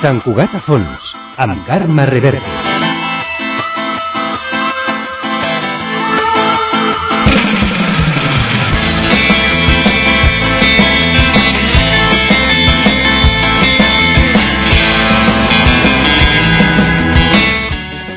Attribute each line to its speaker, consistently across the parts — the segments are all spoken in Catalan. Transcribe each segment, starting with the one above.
Speaker 1: Sant Cugat a fons, amb Carme Reverte.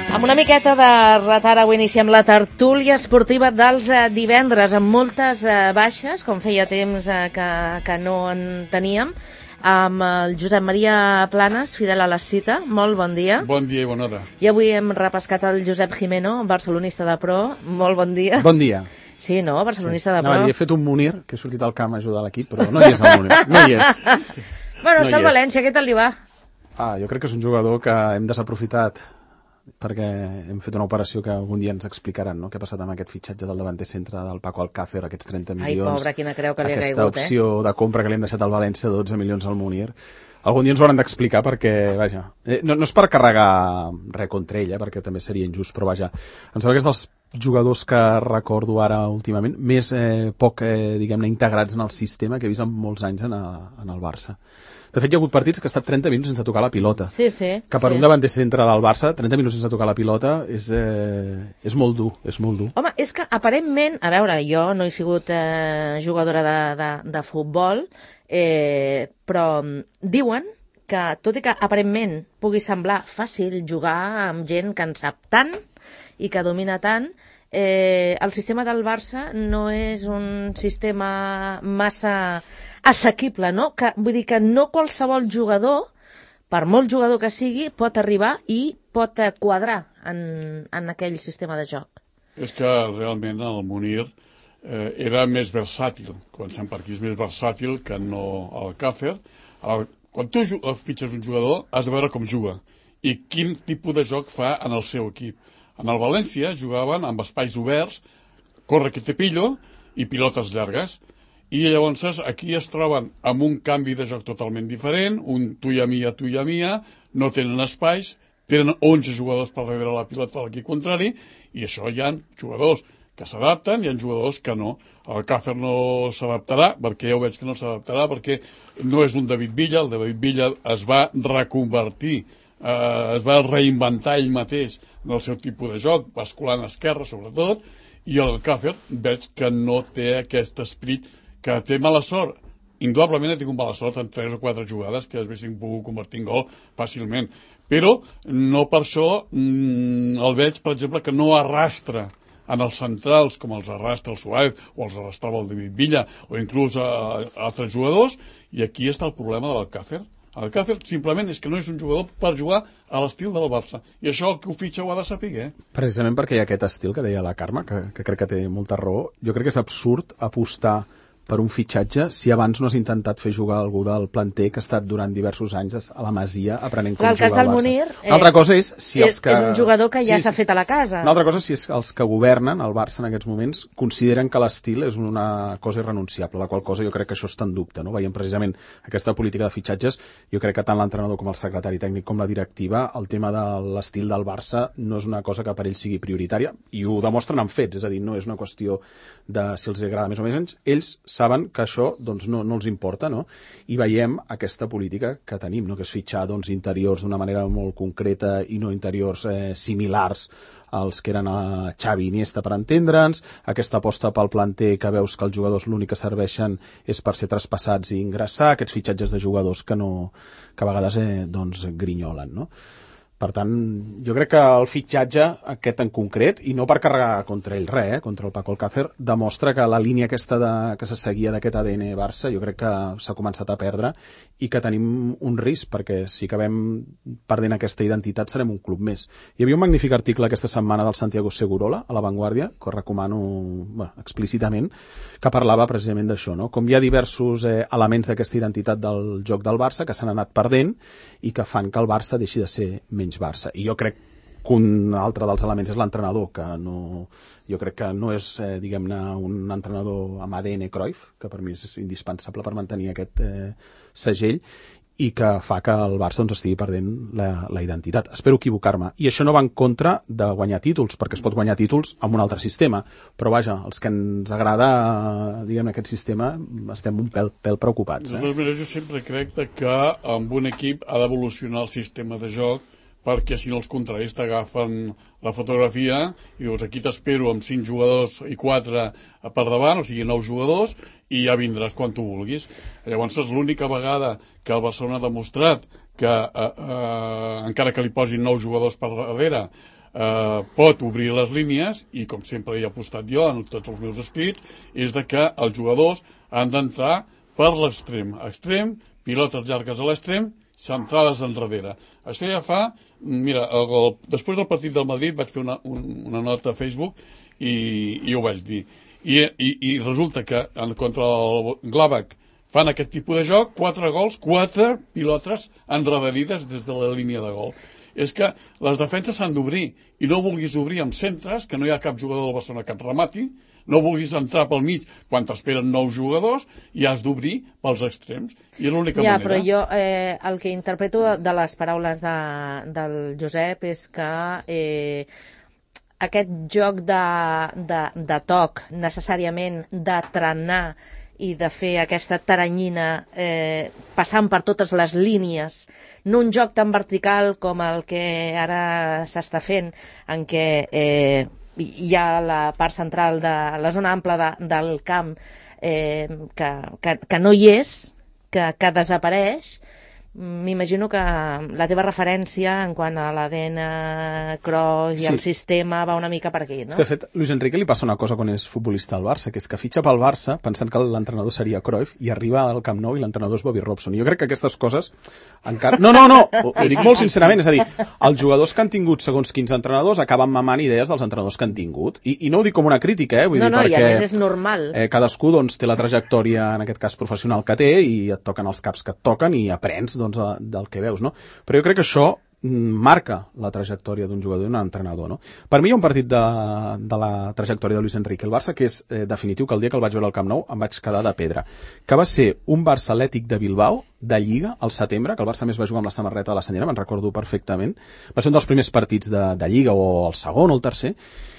Speaker 2: Amb una miqueta de retard, avui iniciem la tertúlia esportiva dels divendres, amb moltes baixes, com feia temps que no en teníem, amb el Josep Maria Planes, fidel a la cita. Molt bon dia.
Speaker 3: Bon dia i bona hora.
Speaker 2: I avui hem repescat el Josep Jimeno, barcelonista de pro. Molt bon dia.
Speaker 4: Bon dia.
Speaker 2: Sí, no? Barcelonista de pro.
Speaker 4: No, he fet un Munir, que he sortit al camp a ajudar l'equip, però no hi és el Munir. No hi és.
Speaker 2: Bueno, està al València, què tal li va?
Speaker 4: Jo crec que és un jugador que hem desaprofitat perquè hem fet una operació que algun dia ens explicaran, no? Què ha passat amb aquest fitxatge del davanter centre del Paco Alcácer, aquests 30 milions.
Speaker 2: Ai, pobre, quina creu que li ha caigut,
Speaker 4: aquesta opció de compra que li hem deixat al València, 12 milions al Munir. Algun dia ens ho hauran d'explicar perquè, vaja, no és per carregar res contra ell, perquè també seria injust, però vaja, em sembla que és dels jugadors que recordo ara últimament, més poc, diguem-ne, integrats en el sistema que he vist en molts anys en el Barça. De fet, hi ha hagut partits que ha estat 30 minuts sense tocar la pilota.
Speaker 2: Sí.
Speaker 4: Que per un davanter centre del Barça, 30 minuts sense tocar la pilota és molt dur, és molt dur.
Speaker 2: Home, és que aparentment, a veure, jo no he sigut jugadora de futbol, però diuen que, tot i que aparentment pugui semblar fàcil jugar amb gent que en sap tant i que domina tant, el sistema del Barça no és un sistema massa assequible, no? Vull dir que no qualsevol jugador, per molt jugador que sigui, pot arribar i pot quadrar en aquell sistema de joc.
Speaker 3: És que realment el Munir era més versàtil. Comencem per aquí, és més versàtil que no el Alcácer. Quan tu fitxes un jugador, has de veure com juga i quin tipus de joc fa en el seu equip. En el València jugaven amb espais oberts, corre que te pillo i pilotes llargues. I llavors aquí es troben amb un canvi de joc totalment diferent, un tu i a mi, no tenen espais, tenen 11 jugadors per rebre la pilota de l'equip contrari, i això hi ha jugadors que s'adapten i hi ha jugadors que no. El Alcácer no s'adaptarà, perquè ja ho veig que no s'adaptarà, perquè no és un David Villa, el David Villa es va reconvertir, es va reinventar ell mateix en el seu tipus de joc, basculant a esquerra sobretot, i el Alcácer veig que no té aquest esperit, que té mala sort. Indudablement ha tingut mala sort en 3 o 4 jugades que es haguessin pogut convertir en gol fàcilment. Però no per això el veig, per exemple, que no arrastra en els centrals com els arrastra el Suárez o els arrastrava el David Villa o inclús altres jugadors, i aquí està el problema de l'Alcácer. L'Alcácer simplement és que no és un jugador per jugar a l'estil del Barça, i això el que ho fitxa ho ha de saber.
Speaker 4: Precisament perquè hi ha aquest estil que deia la Carme, que crec que té molta raó. Jo crec que és absurd apostar per un fitxatge si abans no has intentat fer jugar algú del planter que ha estat durant diversos anys a la Masia aprenent com jugar al Barça.
Speaker 2: El cas del Munir
Speaker 4: Una altra cosa és si els que...
Speaker 2: és un jugador que ja s'ha fet a la casa.
Speaker 4: Una altra cosa és si els que governen el Barça en aquests moments consideren que l'estil és una cosa irrenunciable, la qual cosa jo crec que això està en dubte, no? Veiem precisament aquesta política de fitxatges. Jo crec que tant l'entrenador com el secretari tècnic com la directiva, el tema de l'estil del Barça no és una cosa que per ells sigui prioritària, i ho demostren amb fets, és a dir, no és una qüestió de si els agrada més o menys. Ells saben que això doncs, no els importa, no? I veiem aquesta política que tenim, no? Que és fitxar interiors d'una manera molt concreta i no interiors similars als que eren a Xavi i Iniesta, per entendre'ns, aquesta aposta pel planter que veus que els jugadors l'únic que serveixen és per ser traspassats i ingressar, aquests fitxatges de jugadors que a vegades grinyolen, no? Per tant, jo crec que el fitxatge aquest en concret, i no per carregar contra ell res, contra el Paco Alcácer, demostra que la línia aquesta que se seguia d'aquest ADN Barça jo crec que s'ha començat a perdre i que tenim un risc, perquè si acabem perdent aquesta identitat serem un club més. Hi havia un magnífic article aquesta setmana del Santiago Segurola a La Vanguardia, que recomano explícitament, que parlava precisament d'això, no? Com hi ha diversos elements d'aquesta identitat del joc del Barça que s'han anat perdent i que fan que el Barça deixi de ser menys Barça. I jo crec que un altre dels elements és l'entrenador, que jo crec que no és, diguem-ne, un entrenador amb ADN Cruyff, que per mi és indispensable per mantenir aquest segell, i que fa que el Barça doncs, estigui perdent la identitat. Espero equivocar-me. I això no va en contra de guanyar títols, perquè es pot guanyar títols amb un altre sistema. Però vaja, els que ens agrada, diguem, aquest sistema, estem un pèl preocupats.
Speaker 3: De totes maneres, jo sempre crec que amb un equip ha d'evolucionar el sistema de joc, perquè si no els contraris t'agafen la fotografia i dius, aquí t'espero amb 5 jugadors i 4 per davant, o sigui 9 jugadors, i ja vindràs quan tu vulguis. Llavors és l'única vegada que el Barcelona ha demostrat que encara que li posin 9 jugadors per darrere pot obrir les línies, i com sempre hi he apostat jo en tots els meus escrits, és de que els jugadors han d'entrar per l'extrem, pilotes llargues a l'extrem, centrades enrere. Això ja fa... Mira, després del partit del Madrid vaig fer una nota a Facebook i ho vaig dir. I resulta que contra el Gladbach fan aquest tipus de joc, 4 gols, 4 pilotes enrederides des de la línia de gol. És que les defenses s'han d'obrir, i no vulguis obrir amb centres, que no hi ha cap jugador del Barcelona que et remati, no vulguis entrar pel mig quan t'esperen 9 jugadors, i has d'obrir pels extrems. I és l'única manera.
Speaker 2: Ja, però jo el que interpreto de les paraules del Josep és que aquest joc de toc, necessàriament, de trenar i de fer aquesta taranyina passant per totes les línies, no un joc tan vertical com el que ara s'està fent, en què hi ha la part central de la zona ampla del camp que no hi és, que desapareix. M'imagino que la teva referència en quant a l'ADN Cruyff i el sistema va una mica per aquí, no?
Speaker 4: De fet, Luis Enrique li passa una cosa quan és futbolista al Barça, que és que fitxa pel Barça pensant que l'entrenador seria Cruyff i arriba al Camp Nou i l'entrenador és Bobby Robson. Jo crec que aquestes coses encara... No, ho dic molt sincerament, és a dir, els jugadors que han tingut segons quins entrenadors acaben mamant idees dels entrenadors que han tingut. I no ho dic com una crítica, vull dir, perquè...
Speaker 2: i a més és normal.
Speaker 4: Cadascú doncs, té la trajectòria, en aquest cas professional, que té, i et toquen els caps que et toquen i aprens doncs, del que veus, no? Però jo crec que això marca la trajectòria d'un jugador i d'un entrenador, no? Per mi hi ha un partit de la trajectòria de Luis Enrique el Barça que és definitiu, que el dia que el vaig veure al Camp Nou em vaig quedar de pedra, que va ser un Barça Atlètic de Bilbao de Lliga al setembre, que el Barça més va jugar amb la samarreta de la senyera, me'n recordo perfectament. Va ser un dels primers partits de Lliga, o el segon o el tercer,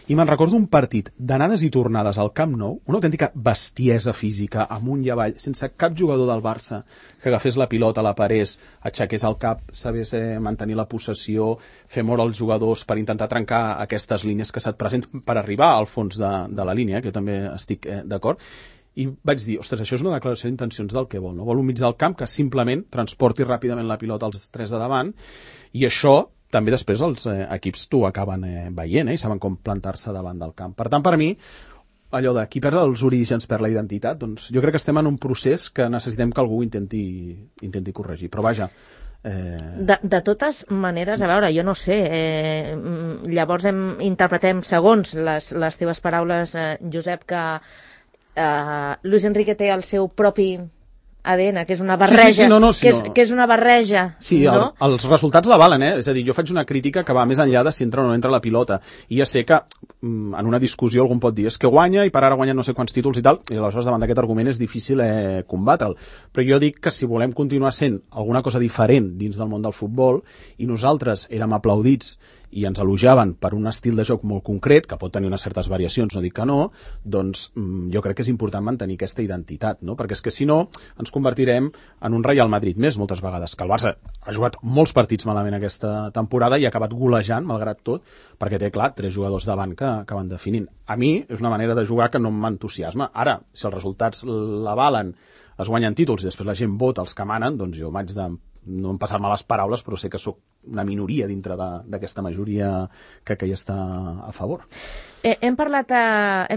Speaker 4: i me'n recordo un partit d'anades i tornades al Camp Nou, una autèntica bestiesa física, amunt i avall, sense cap jugador del Barça que agafés la pilota, la parés, aixequés el cap, sabés mantenir la possessió, fer moure els jugadors per intentar trencar aquestes línies que se't presenten per arribar al fons de la línia, que jo també estic d'acord. I vaig dir, ostres, això és una declaració d'intencions del que vol, no? Vol un mig del camp que simplement transporti ràpidament la pilota als 3 de davant, i això també després els equips t'ho acaben veient, i saben com plantar-se davant del camp. Per tant, per mi, allò de qui perd els orígens perd la identitat, doncs jo crec que estem en un procés que necessitem que algú intenti corregir. Però vaja...
Speaker 2: De totes maneres, a veure, jo no sé, llavors interpretem, segons les teves paraules, Josep, que Luis Enrique té el seu propi ADN, que és una barreja, que és una barreja.
Speaker 4: Sí, no? Els resultats l'avalen, És a dir, jo faig una crítica que va més enllà de si entra o no entra la pilota. I ja sé que en una discussió algú pot dir és que guanya i per ara guanya no sé quants títols i tal, i aleshores davant d'aquest argument és difícil combatre'l. Però jo dic que si volem continuar sent alguna cosa diferent dins del món del futbol, i nosaltres érem aplaudits i ens elogiaven per un estil de joc molt concret, que pot tenir unes certes variacions, no dic que no, doncs jo crec que és important mantenir aquesta identitat, no? Perquè és que si no ens convertirem en un Real Madrid més moltes vegades, que el Barça ha jugat molts partits malament aquesta temporada i ha acabat golejant, malgrat tot, perquè té, clar, 3 jugadors davant que acaben definint. A mi és una manera de jugar que no m'entusiasma. Ara, si els resultats l'avalen, es guanyen títols i després la gent vota els que manen, doncs jo m'haig de no passar-me les paraules, però sé que sóc una minoria dintre d'aquesta majoria que hi està a favor.
Speaker 2: Hem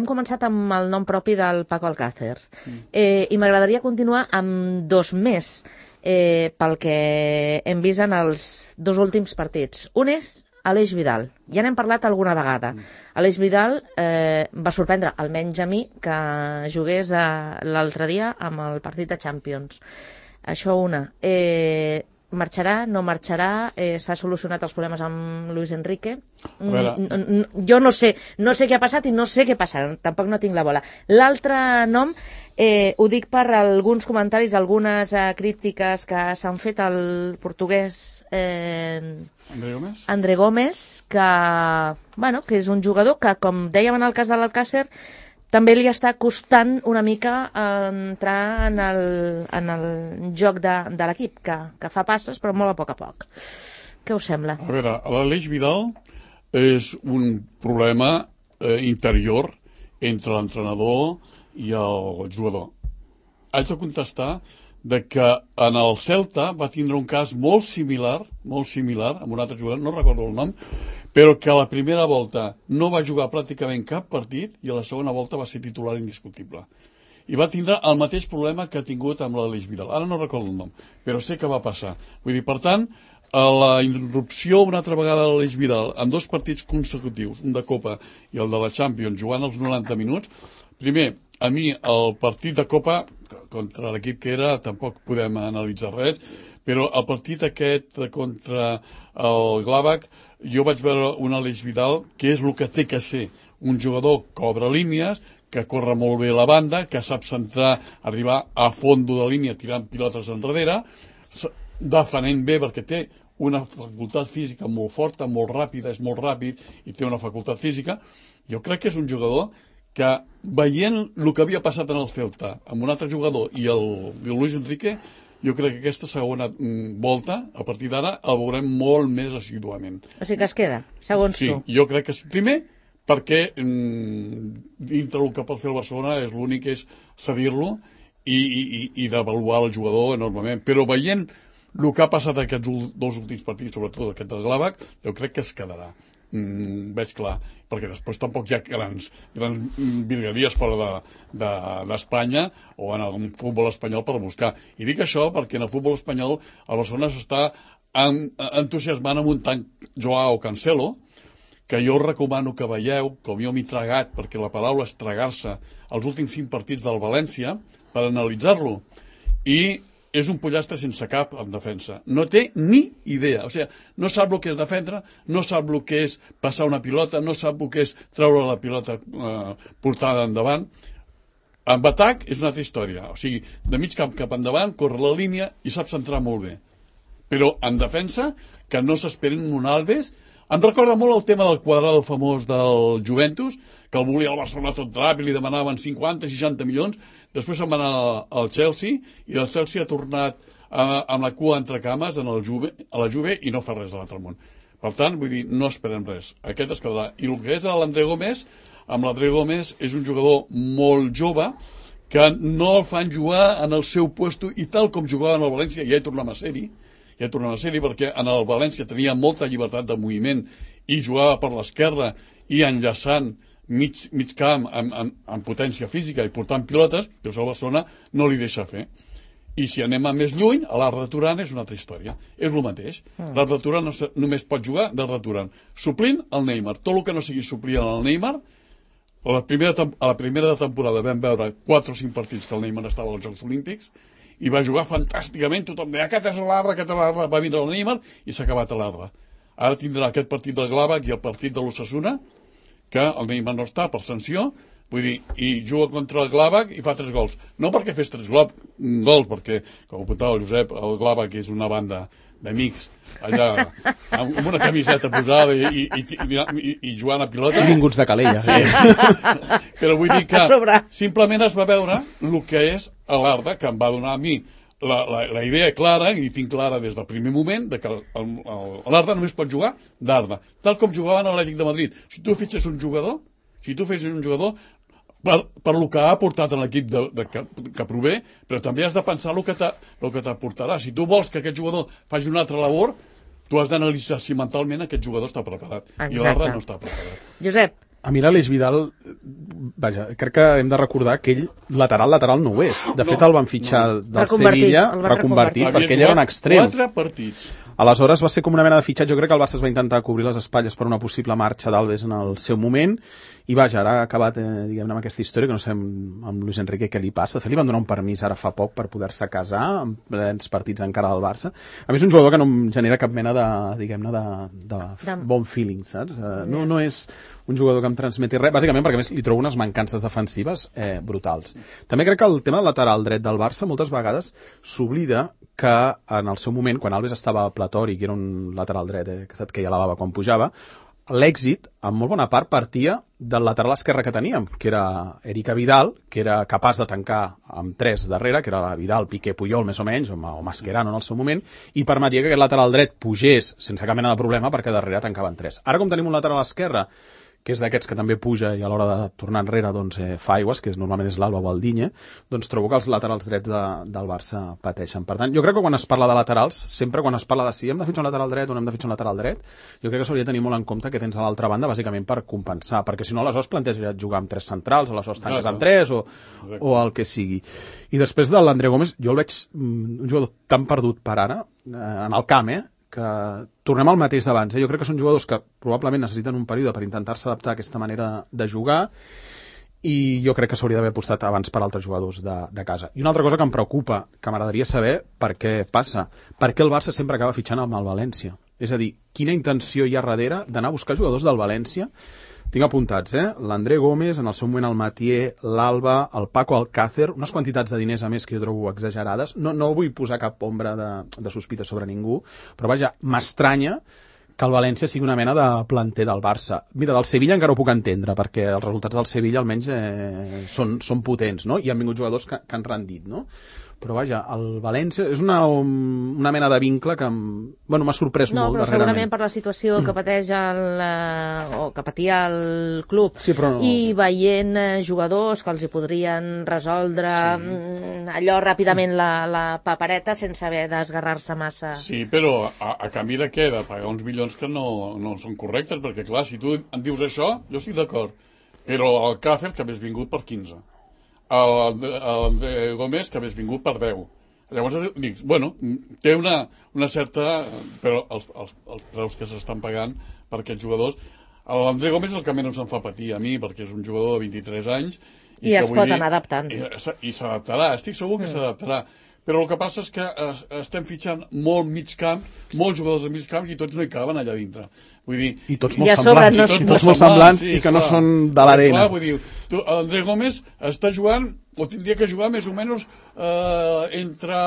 Speaker 2: començat amb el nom propi del Paco Alcácer, i m'agradaria continuar amb 2 més, pel que hem vist en els 2 últims partits. Un és Aleix Vidal. Ja n'hem parlat alguna vegada. Aleix Vidal va sorprendre, almenys a mi, que jugués l'altre dia amb el partit de Champions. Això una. Marxarà, no marxarà, s'ha solucionat els problemes amb Luis Enrique? Jo no sé què ha passat i no sé què passarà, tampoc no tinc la bola. L'altre nom Ho dic per alguns comentaris, algunes crítiques que s'han fet al portuguès André Gómez, que és un jugador que, com dèiem en el cas de l'Alcácer, també li està costant una mica entrar en el joc de l'equip, que fa passes però molt a poc. Què us sembla?
Speaker 3: A veure, l'Aleix Vidal és un problema interior entre l'entrenador i el jugador. Haig de contestar que en el Celta va tindre un cas molt similar amb un altre jugador, no recordo el nom, però que a la primera volta no va jugar pràcticament cap partit i a la segona volta va ser titular indiscutible. I va tindre el mateix problema que ha tingut amb l'Aleix Vidal. Ara no recordo el nom, però sé que va passar. Vull dir, per tant, la interrupció una altra vegada de l'Aleix Vidal en 2 partits consecutius, un de Copa i el de la Champions, jugant els 90 minuts, primer, a mi el partit de Copa contra l'equip que era tampoc podem analitzar res, però el partit aquest contra el Gladbach jo vaig veure un Aleix Vidal que és el que té que ser un jugador que obre línies, que corre molt bé la banda, que sap centrar, arribar a fondo de línia tirant pilotes enrere, defenent bé perquè té una facultat física molt forta, molt ràpida, és molt ràpid i té una facultat física. Jo crec que és un jugador que, veient el que havia passat en el Celta amb un altre jugador i el Luis Enrique, jo crec que aquesta segona volta, a partir d'ara, el veurem molt més assiduament.
Speaker 2: O sigui que es queda, segons tu.
Speaker 3: Sí, jo crec que sí. Primer, perquè dintre el que pot fer el Barcelona és l'únic és cedir-lo i devaluar el jugador enormement. Però veient el que ha passat aquests 2 últims partits, sobretot aquest del Gladbach, jo crec que es quedarà. Veig clar, perquè després tampoc hi ha grans virgueries fora d'Espanya o en el futbol espanyol per buscar. I dic això perquè en el futbol espanyol el Barcelona s'està entusiasmant amb un tant Joao Cancelo, que jo recomano que veieu, com jo m'he tragat, perquè la paraula és tragar-se, els últims 5 partits del València, per analitzar-lo. I és un pollastre sense cap en defensa. No té ni idea. O sigui, no sap el que és defendre, no sap el que és passar una pilota, no sap el que és treure la pilota portada endavant. En atac és una altra història. O sigui, de mig camp cap endavant, corre la línia i sap centrar molt bé. Però en defensa, que no s'esperen un Alves. Em recorda molt el tema del Cuadrado famós del Juventus, que el volia el Barcelona tot ràpid, li demanaven 50-60 milions, després se'n va anar al Chelsea, i el Chelsea ha tornat amb la cua entre cames a la Juve i no fa res de l'altre món. Per tant, vull dir, no esperem res. Aquest es quedarà. I el que és l'André Gómez, amb l'André Gómez és un jugador molt jove, que no el fan jugar en el seu puesto, i tal com jugava en el València, ja hi tornem a ser-hi, perquè en el València tenia molta llibertat de moviment i jugava per l'esquerra i enllaçant mig camp amb potència física i portant pilotes, doncs el Barcelona no li deixa fer. I si anem a més lluny, a l'Arda Turan és una altra història. És el mateix. L'Arda Turan només pot jugar d'Arda Turan, suplint el Neymar. Tot el que no sigui suplir el Neymar, a la primera temporada vam veure 4 o 5 partits que el Neymar estava als Jocs Olímpics, i va jugar fantàsticament, tothom deia aquest és l'Arda, va vindre el Neymar i s'ha acabat l'Arda. Ara tindrà aquest partit del Gladbach i el partit de l'Osasuna, que el Neymar no està per sanció, vull dir, i juga contra el Gladbach i fa 3 gols. No perquè fes 3 gols, perquè, com apuntava el Josep, el Gladbach és una banda d'amics allà amb una camiseta posada i jugant a pilota.
Speaker 4: I vinguts de Calella.
Speaker 3: Sí. Però vull dir que simplement es va veure el que és l'Arda, que em va donar a mi la idea clara, i tinc clara des del primer moment, de que l'Arda només pot jugar d'Arda, tal com jugava en l'Atlètic de Madrid. Si tu fitxes un jugador, per lo que ha aportat en l'equip que prové, però també has de pensar el que t'aportarà. Si tu vols que aquest jugador faci una altra labor, tu has d'analitzar si mentalment aquest jugador està preparat. Exacte. I l'Arda no està preparat.
Speaker 2: Josep.
Speaker 4: A mi l'Aleix Vidal, vaja, crec que hem de recordar que ell lateral no ho és. De fet, el van fitxar del Sevilla, reconvertit, perquè ell era un extrem.
Speaker 3: 4 partits.
Speaker 4: Aleshores va ser com una mena de fitxatge. Jo crec que el Barça es va intentar cobrir les espatlles per una possible marxa d'Alves en el seu moment, i vaja, ara ha acabat, diguem-ne, amb aquesta història, que no sé amb Luis Enrique què li passa. De fet, li van donar un permís ara fa poc per poder-se casar, en plens partits encara del Barça. A mi és un jugador que no em genera cap mena de, diguem-ne, de bon feeling, saps? No és un jugador que em transmeti res, bàsicament perquè a més li trobo unes mancances defensives brutals. També crec que el tema del lateral dret del Barça moltes vegades s'oblida que en el seu moment, quan Alves estava platòric i era un lateral dret que queia la bava quan pujava, l'èxit, en molt bona part, partia del lateral esquerre que teníem, que era Eric Vidal, que era capaç de tancar amb 3 darrere, que era Vidal, Piqué, Puyol, més o menys, o Mascherano en el seu moment, i permetia que aquest lateral dret pugés sense cap mena de problema perquè darrere tancaven 3. Ara, com tenim un lateral esquerre que és d'aquests que també puja i a l'hora de tornar enrere doncs, fa aigües, que normalment és l'Alba o el Digne, doncs trobo que els laterals drets del Barça pateixen. Per tant, jo crec que quan es parla de laterals, sempre quan es parla de si hem de fitxar un lateral dret o no hem de fitxar un lateral dret, jo crec que s'hauria de tenir molt en compte que tens a l'altra banda, bàsicament per compensar, perquè si no aleshores planteja jugar amb 3 centrals, aleshores tanques amb 3 o el que sigui. I després de l'André Gómez, jo el veig un jugador tan perdut per ara, en el camp, que tornem al mateix d'abans. Jo crec que són jugadors que probablement necessiten un període per intentar-se adaptar a aquesta manera de jugar, i jo crec que s'hauria d'haver apostat abans per altres jugadors de casa. I una altra cosa que em preocupa, que m'agradaria saber per què passa, per què el Barça sempre acaba fitxant amb el València. És a dir, quina intenció hi ha darrere d'anar a buscar jugadors del València? Tinc apuntats, l'André Gómez, en el seu moment el Matier, l'Alba, el Paco Alcácer, unes quantitats de diners a més que jo trobo exagerades. No vull posar cap ombra de sospita sobre ningú, però vaja, m'estranya que el València sigui una mena de planter del Barça. Mira, del Sevilla encara ho puc entendre, perquè els resultats del Sevilla almenys són potents, no? I han vingut jugadors que han rendit, no? Però vaja, el València és una mena de vincle que m'ha sorprès molt darrerament. No, però
Speaker 2: segurament per la situació que pateix o que patia el club, sí, però no. I veient jugadors que els hi podrien resoldre allò ràpidament la papereta sense haver d'esgarrar-se massa.
Speaker 3: Sí, però a canvi de què? De pagar uns milions que no són correctes, perquè clar, si tu em dius això, jo estic d'acord. Però el Càcer, que hagués vingut per 15. El Gómez, que hagués vingut per 10. Llavors dic, bueno, té una certa... Però els preus que s'estan pagant per aquests jugadors... L'André Gómez és el que menys em fa patir a mi, perquè és un jugador de 23 anys...
Speaker 2: I es pot anar adaptant.
Speaker 3: I s'adaptarà, estic segur que s'adaptarà. Però el que passa és que estem fitxant molt mig camp, molts jugadors de mig camp, i tots no hi caben allà dintre. Vull dir...
Speaker 4: I tots molt semblants, i que no són de l'arena.
Speaker 3: Vull dir, André Gómez està jugant, o tindria que jugar més o menys entre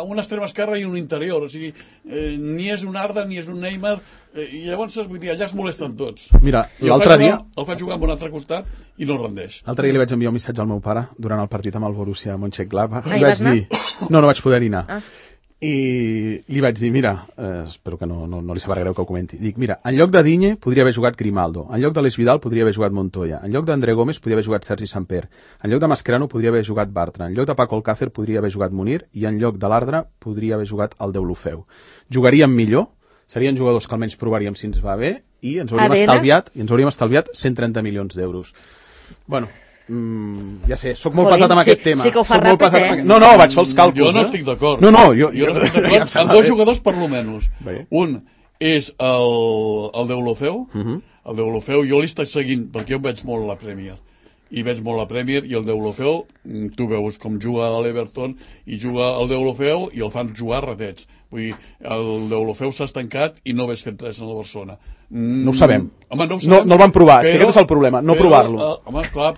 Speaker 3: un extrem esquerre i un interior. O sigui, ni és un Arda, ni és un Neymar, i llavors, vull dir, allà es molesten tots.
Speaker 4: Mira, l'altre dia...
Speaker 3: El faig jugar amb un altre costat i no rendeix.
Speaker 4: L'altre dia li vaig enviar un missatge al meu pare durant el partit amb el Borussia Mönchengladbach.
Speaker 2: Hi vas anar?
Speaker 4: No vaig poder anar. I li vaig dir, mira, espero que no li sabrà greu que ho comenti, dic, mira, en lloc de Digne podria haver jugat Grimaldo, en lloc de l'Es Vidal podria haver jugat Montoya, en lloc d'André Gómez podria haver jugat Sergi Samper, en lloc de Mascherano podria haver jugat Bartra, en lloc de Paco Alcácer podria haver jugat Munir, i en lloc de l'Ardra podria haver jugat el Deulofeu. Jugaríem millor, serien jugadors que almenys provaríem si ens va bé, i ens hauríem estalviat 130 milions d'euros. Bueno, ja sé, soc molt pesat amb aquest tema.
Speaker 2: Sí que ho fa ràpid,
Speaker 4: No, vaig fer els càlculs.
Speaker 3: Jo no estic d'acord.
Speaker 4: Jo
Speaker 3: no estic d'acord amb 2 jugadors per lo menys. Un és el Deulofeu. El Deulofeu jo l'estic seguint perquè jo veig molt la Premier. I veig molt la Premier, i el Deulofeu, tu veus com juga a l'Everton, i juga el Deulofeu i el fan jugar ratets. Vull dir, el Deulofeu s'ha estancat i no hagués fet res en la Barcelona.
Speaker 4: No ho sabem.
Speaker 3: Home, no ho sabem.
Speaker 4: No el van provar, és que aquest és el problema, no provar-lo.
Speaker 3: Home, clar,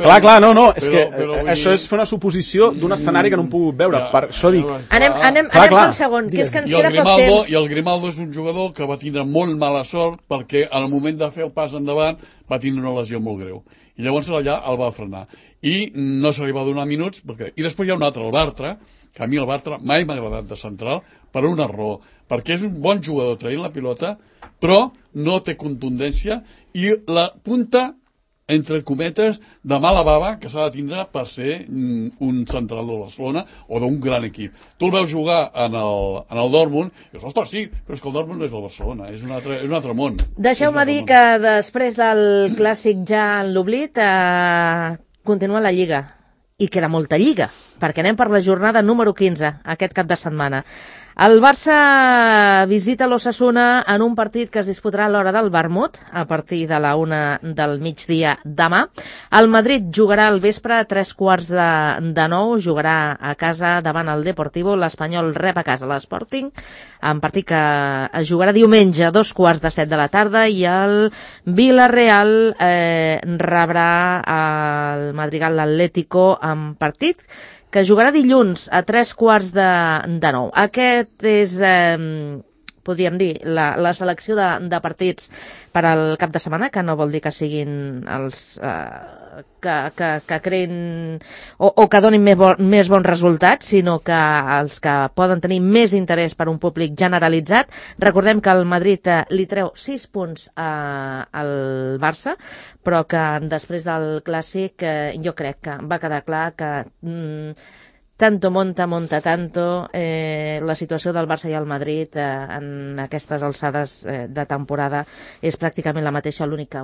Speaker 4: és que això és fer una suposició d'un escenari que no hem pogut veure, per això dic.
Speaker 2: Anem pel segon, que és que ens queda poc temps.
Speaker 3: I el Grimaldo és un jugador que va tindre molt mala sort perquè al moment de fer el pas endavant va tindre una lesió molt greu. I llavors allà el va frenar. I no se li va donar minuts. I després hi ha un altre, el Bartra, que a mi el Bartra mai m'ha agradat de central per una raó. Perquè és un bon jugador traient la pilota, però no té contundència, i la punta, entre cometes, de mala bava que s'ha de tindre per ser un central de Barcelona o d'un gran equip. Tu el veus jugar en el Dortmund i dius, ostres, sí, però és que el Dortmund no és el Barcelona, és un altre món.
Speaker 2: Deixeu-me dir que després del clàssic ja en l'oblit continua la Lliga, i queda molta Lliga, perquè anem per la jornada número 15 aquest cap de setmana. El Barça visita l'Osasuna en un partit que es disputarà a l'hora del vermut, a partir de la 1 del migdia demà. El Madrid jugarà al vespre a 8:45, jugarà a casa davant el Deportivo, l'Espanyol rep a casa l'Sporting, en partit que es jugarà diumenge a 2:15 de la tarda, i el Villarreal rebrà el Madrigal Atlético en partit que jugarà dilluns a 8:45. Aquest és, podríem dir, la selecció de partits per al cap de setmana, que no vol dir que siguin els que creïn o que donin més bons resultats, sinó que els que poden tenir més interès per un públic generalitzat. Recordem que el Madrid li treu 6 punts al Barça, però que després del Clàssic jo crec que va quedar clar que tanto monta tanto, la situació del Barça i el Madrid en aquestes alçades de temporada és pràcticament la mateixa, l'únic que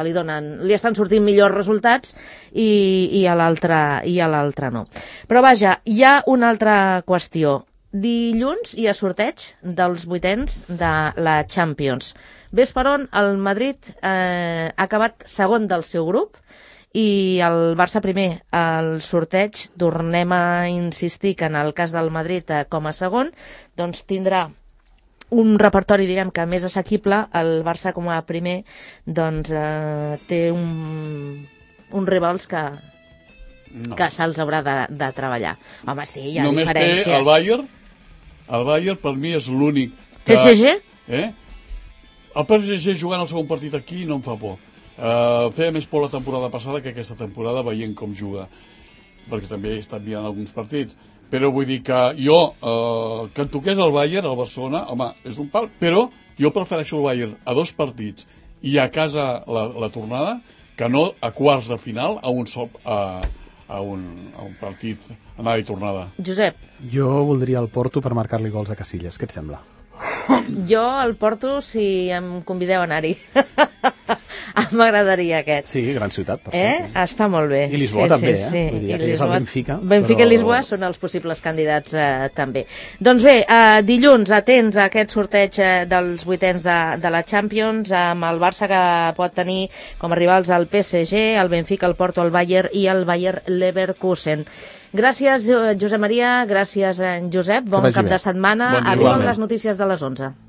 Speaker 2: li estan sortint millors resultats i a l'altre no. Però vaja, hi ha una altra qüestió. Dilluns hi ha sorteig dels vuitens de la Champions. Ves per on el Madrid ha acabat segon del seu grup i el Barça primer. El sorteig, tornem a insistir que en el cas del Madrid com a segon, doncs tindrà un repertori, diguem que més assequible. El Barça com a primer doncs té uns rivals que se'ls haurà de treballar. Home, sí, hi ha diferències.
Speaker 3: Només té el Bayern. El Bayern per mi és l'únic que...
Speaker 2: PSG?
Speaker 3: El PSG jugant el segon partit aquí no em fa por. Feia més por la temporada passada que aquesta temporada, veient com juga, perquè també he estat mirant alguns partits, però vull dir que jo que em toqués el Bayern, el Barcelona, home, és un pal, però jo prefereixo el Bayern a 2 partits i a casa la tornada, que no a quarts de final a un partit anada i tornada.
Speaker 2: Josep?
Speaker 4: Jo voldria el Porto per marcar-li gols a Casillas, què et sembla?
Speaker 2: Jo el Porto, si em convideu a anar-hi. M'agradaria aquest.
Speaker 4: Sí, gran ciutat, per cert.
Speaker 2: Està molt bé.
Speaker 4: I Lisboa també, Vull dir, és el Benfica.
Speaker 2: Benfica i Lisboa són els possibles candidats també. Doncs bé, dilluns atents a aquest sorteig dels vuitens de la Champions, amb el Barça que pot tenir com a rivals el PSG, el Benfica, el Porto, el Bayern i el Bayer Leverkusen. Gràcies, Josep Maria, gràcies, Josep. Bon cap de setmana. Arriben les notícies de les 11.